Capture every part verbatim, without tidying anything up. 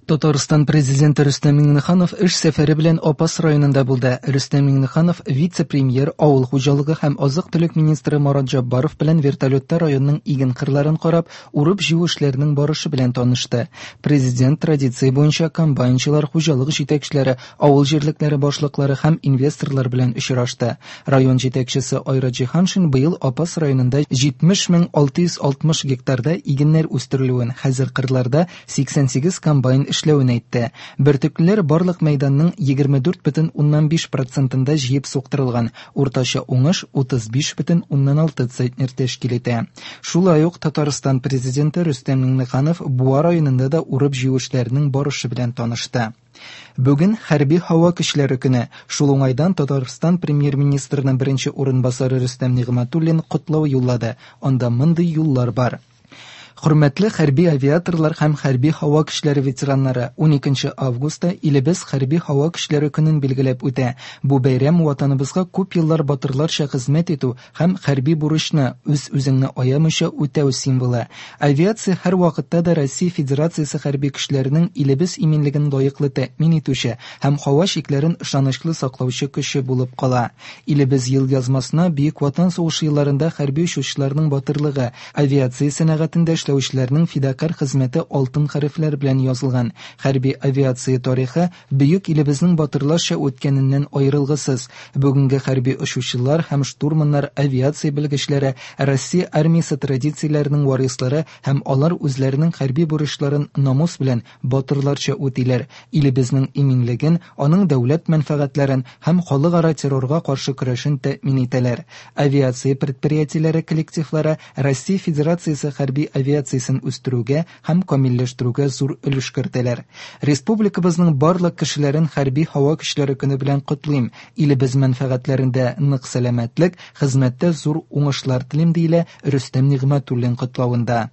Татарстан президенты Рөстәм Миңнеханов эш сәфәре белән Апас районында булды. Рөстәм Миңнеханов вице-премьер, авыл хуҗалыгы һәм азык-төлек министры Марат Җаббаров белән вертолетта районның иген кырларын карап, урып-җыю эшләренең барышы белән танышты. Президент традиция буенча комбайнчылар, хуҗалык җитәкчеләре, авыл җирлекләре башлыклары һәм инвесторлар белән очрашты. Район җитәкчесе Айрат Җиһаншин быел Апас районында җитмеш мең алты йөз алтмыш гектарда игеннәр үстерелүен, хәзер кырларда сиксән сигез комбайн эшләвен әйтте. Бөртеклеләр барлык мәйданның егерме дүрт бөтен уннан биш процентында җыеп суктырылган, уртача уңыш утыз биш бөтен уннан алты центнер тәшкил итә. Шулай ук Татарстан президенты Рөстәм Миңнеханов Буа районында да урып-җыю эшләренең барышы белән танышты. Бүген хәрби һава көчләре көне. Шул уңайдан Татарстан премьер-министрының беренче урынбасары Рөстәм Нигъмәтуллин котлау юллады. Анда мондый юллар бар. Хөрмәтле хәрби авиаторлар һәм хәрби һава көчләре ветераннары, уникенче августта илебез хәрби һава көчләре көнен билгеләп үтә. Бу бәйрәм ватаныбызга күп еллар батырларча хезмәт итү һәм хәрби бурычны үз-үзеңне аямыйча үтәү символы. Авиация һәр вакытта да Россия Федерациясе хәрби көчләренең илебез иминлеген лаеклы тәэмин итүче һәм һава чикләрен ышанычлы саклаучы көче булып кала. Илебез ел язмасына Бөек Ватан сугышы елларында хәрби очучыларның батырлыгы, авиация сәнәгатендә эшләүчеләрнең фидакарь хезмәте алтын хәрефләр белән язылган. Хәрби авиация тарихы бөек илебезнең батырларча үткәненнән аерылгысыз. Бүгенге хәрби очучылар һәм штурманнар, авиация белгечләре, Россия армиясе традицияләренең варислары һәм алар үзләренең хәрби бурычларын намус белән батырларча үтиләр. Илебезнең иминлеген, аның дәүләт мәнфәгатьләрен һәм халыкара террорга каршы көрәшен тәэмин итәләр. Авиация предприятиеләре коллективлары Россия Федерациясе хәрби авиациясен үстерүгә һәм камилләштерүгә зур өлеш кертәләр. Республикабызның барлык кешеләрен хәрби һава көчләре көне белән котлыйм. Илебез мәнфәгатьләрендә нык сәламәтлек, хезмәттә зур уңышлар телим, диелә Рөстәм Нигъмәтуллин котлавында.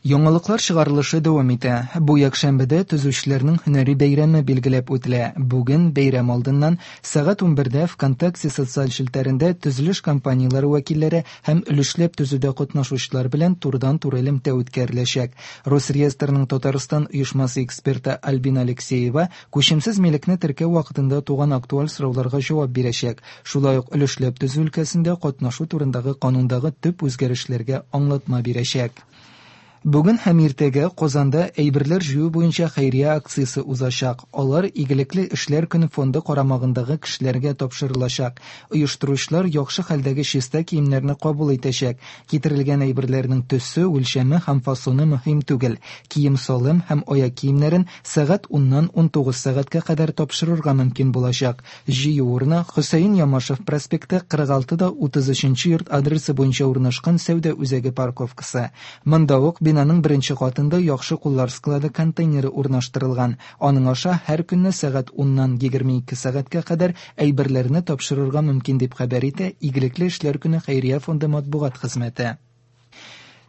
Яңалыклар чыгарылышы дәвам итә. Бу якшәмбедә төзүчеләрнең һөнәри бәйрәме билгеләп үтелә. Бүген бәйрәм алдыннан сәгать унбердә ВКонтакте социаль челтәрендә төзелеш компанияләре вәкилләре һәм өлешләп төзүдә катнашучылар белән турыдан-туры элемтә үткәреләчәк. Росреестрның Татарстан оешмасы эксперты Альбина Алексеева күчемсез милекне теркәү вакытында туган актуаль сорауларга җавап бирәчәк. Шулай ук өлешләп төзү өлкәсендә катнашу турындагы канундагы төп үзгәрешләргә аңлатма бирәчәк. Бүген һәм иртәгә Казанда әйберләр җыю буенча хәйрия акциясе узачак. Алар игелекле эшләр көне фонды карамагындагы кешеләргә тапшырылачак. Оештыручылар яхшы хәлдәге чиста киемнәрне кабул итәчәк. Китерелгән әйберләрнең төсе, үлчәме һәм фасоны мөһим түгел. Кием-салым һәм аяк киемнәрен сәгать уннан унтугыз сәгатькә кадәр тапшырырга мөмкин булачак. Җыю урыны Хөсәен Ямашев проспекты кырык алты да утыз өченче йорт адресы буенча урнашкан сәүдә үзәге парковкасы. Монда ук бинаның беренче катында яхшы куллар склады контейнеры урнаштырылган. Аның аша һәр көнне сәгать уннан егерме ике сәгатькә кадәр әйберләрне тапшырырга мөмкин дип хәбәр итә Игелекле эшләр көне хәйрия фонды матбугат хезмәте.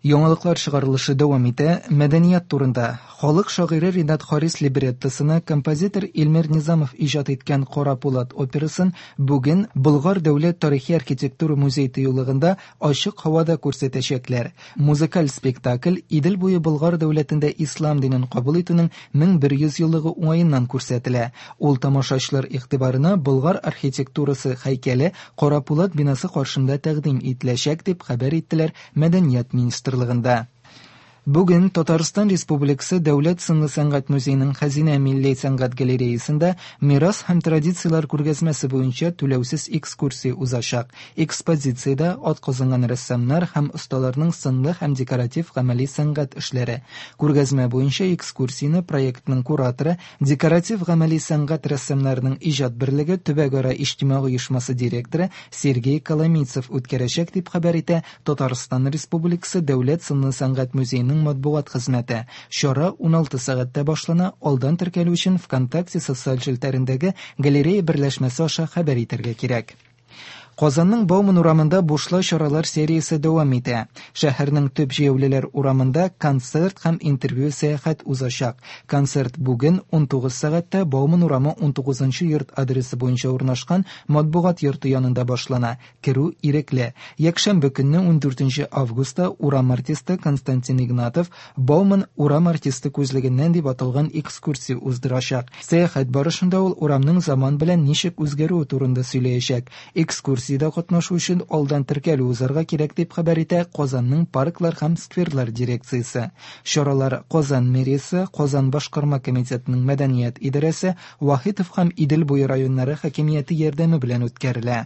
Яңалыклар чыгарылышы дәвам итә. Мәдәният турында. Халык шагыйре Ринат Харис либреттосына композитор Илмир Низамов иҗат иткән Кара Пулат операсын бүген Болгар дәүләт тарихи архитектура музей тыюлыгында ачык һавада күрсәтәчәкләр. Музыкаль спектакль Идел буе Болгар дәүләтендә ислам динен кабул итүнең мең бер йөз еллыгы уңаеннан күрсәтелә. Ул тамашачылар игътибарына Болгар архитектурасы һәйкәле Кара Пулат бинасы каршында тәкъдим ителәчәк дип хәбәр иттеләр Мәдәният министрлыгында. Бүген Татарстан Республикасы Дәүләт сынлы сәнгать музееның Хәзинә милли сәнгать галереясында мирас һәм традицияләр күргәзмәсе буенча түләүсез экскурсия узачак. Экспозициядә атказанган рәссамнар һәм осталарның сынлы һәм декоратив гамәли сәнгать эшләре. Күргәзмә буенча экскурсияне проектның кураторы, декоратив гамәли сәнгать рәссамнарының иҗат берлеге төбәкара иҗтимагый оешмасы директоры Сергей Коломийцев үткәрәчәк дип хәбәр итә Татарстан Республикасы Дәүләт сынлы сәнгать музееның матбугат хезмәте. Чара уналты сәгатьтә башлана. Алдан теркәлү өчен ВКонтакте социаль челтәрендәге галерея берләшмәсе аша хәбәр итәргә кирәк. Казанның Бауман урамында бушлай чаралар сериясе дәвам итә. Шәһәрнең төп җәяүлеләр урамында концерт һәм интервью-сәяхәт узачак. Концерт бүген унтугыз сәгатьтә Бауман урамы унтугызынчы йорт адресы буенча урнашкан Матбугат йорты янында башлана. Керү ирекле. Якшәмбе көнне ундүртенче августта урам артисты Константин Игнатов Бауман урам артисты күзлегеннән дип аталган экскурсия уздырачак. Сәяхәт барышында ул урамның заман белән ничек үзгәрүе турында сөйләячәк. Экскурсиядә катнашу өчен алдан теркәлү узарга кирәк, дип хәбәр итә Казанның парклар һәм скверлар дирекциясе. Чаралар Казан мэриясе, Казан башкарма комитетының мәдәният идарәсе, Вахитов һәм Идел буе районнары хакимияте ярдәме белән үткәрелә.